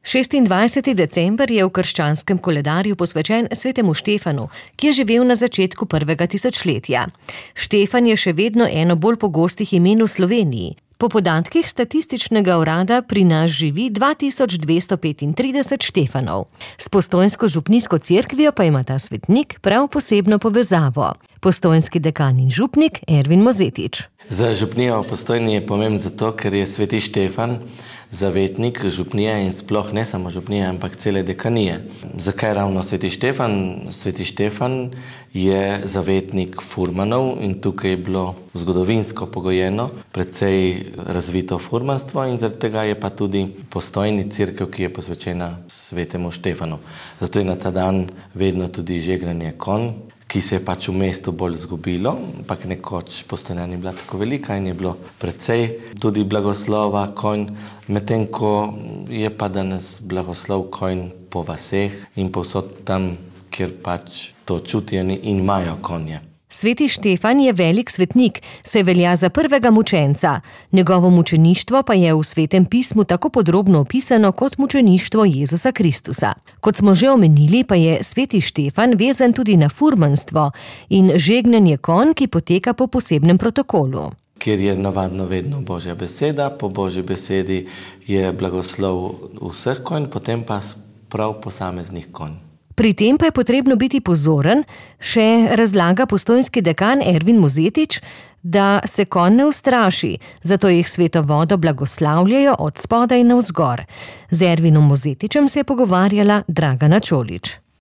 26. december je v krščanskem koledarju posvečen svetemu Štefanu, ki je živel na začetku prvega tisočletja. Štefan je še vedno eno bolj pogostih imen v Sloveniji. Po podatkih statističnega urada pri nas živi 2235 Štefanov. S postojnsko župnijsko cerkvijo pa ima ta svetnik prav posebno povezavo. Postojnski dekan in župnik Ervin Mozetič. Za župnijo v Postojni je pomemben zato, ker je sveti Štefan zavetnik župnije in sploh ne samo župnije, ampak cele dekanije. Zakaj ravno sveti Štefan? Sveti Štefan je zavetnik furmanov in tukaj je bilo zgodovinsko pogojeno precej razvito furmanstvo in zaradi tega je pa tudi Postojni cerkev, ki je posvečena svetemu Štefanu. Zato je na ta dan vedno tudi žegnanje konj, ki se je pač v mestu bolj zgubilo, ampak nekoč Postojna ni bila tako velika in je bilo precej tudi blagoslova konj, medtem ko je pa danes blagoslov konj po vaseh in povsod tam, kjer pač to čutijo in imajo konje. Sveti Štefan je velik svetnik, saj velja za prvega mučenca. Njegovo mučeništvo pa je v Svetem pismu tako podrobno opisano kot mučeništvo Jezusa Kristusa. Kot smo že omenili, pa je sveti Štefan vezan tudi na furmanstvo in žegnanje konj, ki poteka po posebnem protokolu. Kjer je navadno vedno Božja beseda, po Božji besedi je blagoslov vseh konj, potem pa prav posameznih konj. Pri tem pa je potrebno biti pozoren, še razlaga postojnski dekan Ervin Mozetič, da se konj ne ustraši, zato jih sveto vodo blagoslavljajo od spodaj navzgor. Z Ervinom Mozetičem se je pogovarjala Dragana Čolič.